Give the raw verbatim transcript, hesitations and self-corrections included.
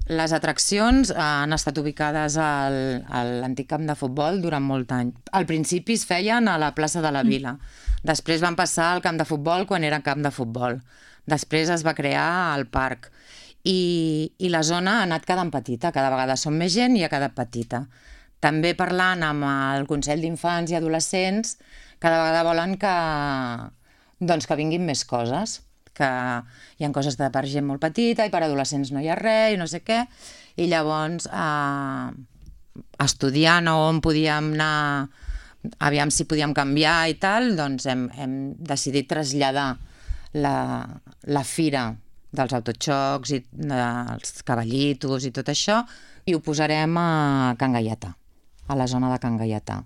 Les atraccions han estat ubicades al, a l'antic camp de futbol durant molt any. Al principi es feien a la plaça de la Vila. Després van passar al camp de futbol quan era camp de futbol. Després es va crear el parc. I, i la zona ha anat quedant petita. Cada vegada som més gent i ha quedat petita. També parlant amb el Consell d'Infants i Adolescents, cada vegada volen que, doncs, que vinguin més coses, que hi ha coses de per gent molt petita i per adolescents no hi ha res i no sé què, i llavors eh, estudiant on podíem anar, aviam si podíem canviar i tal, doncs hem, hem decidit traslladar la, la fira dels autoxocs i dels cavallitos i tot això, i ho posarem a Can Gaietà, a la zona de Can Gaietà.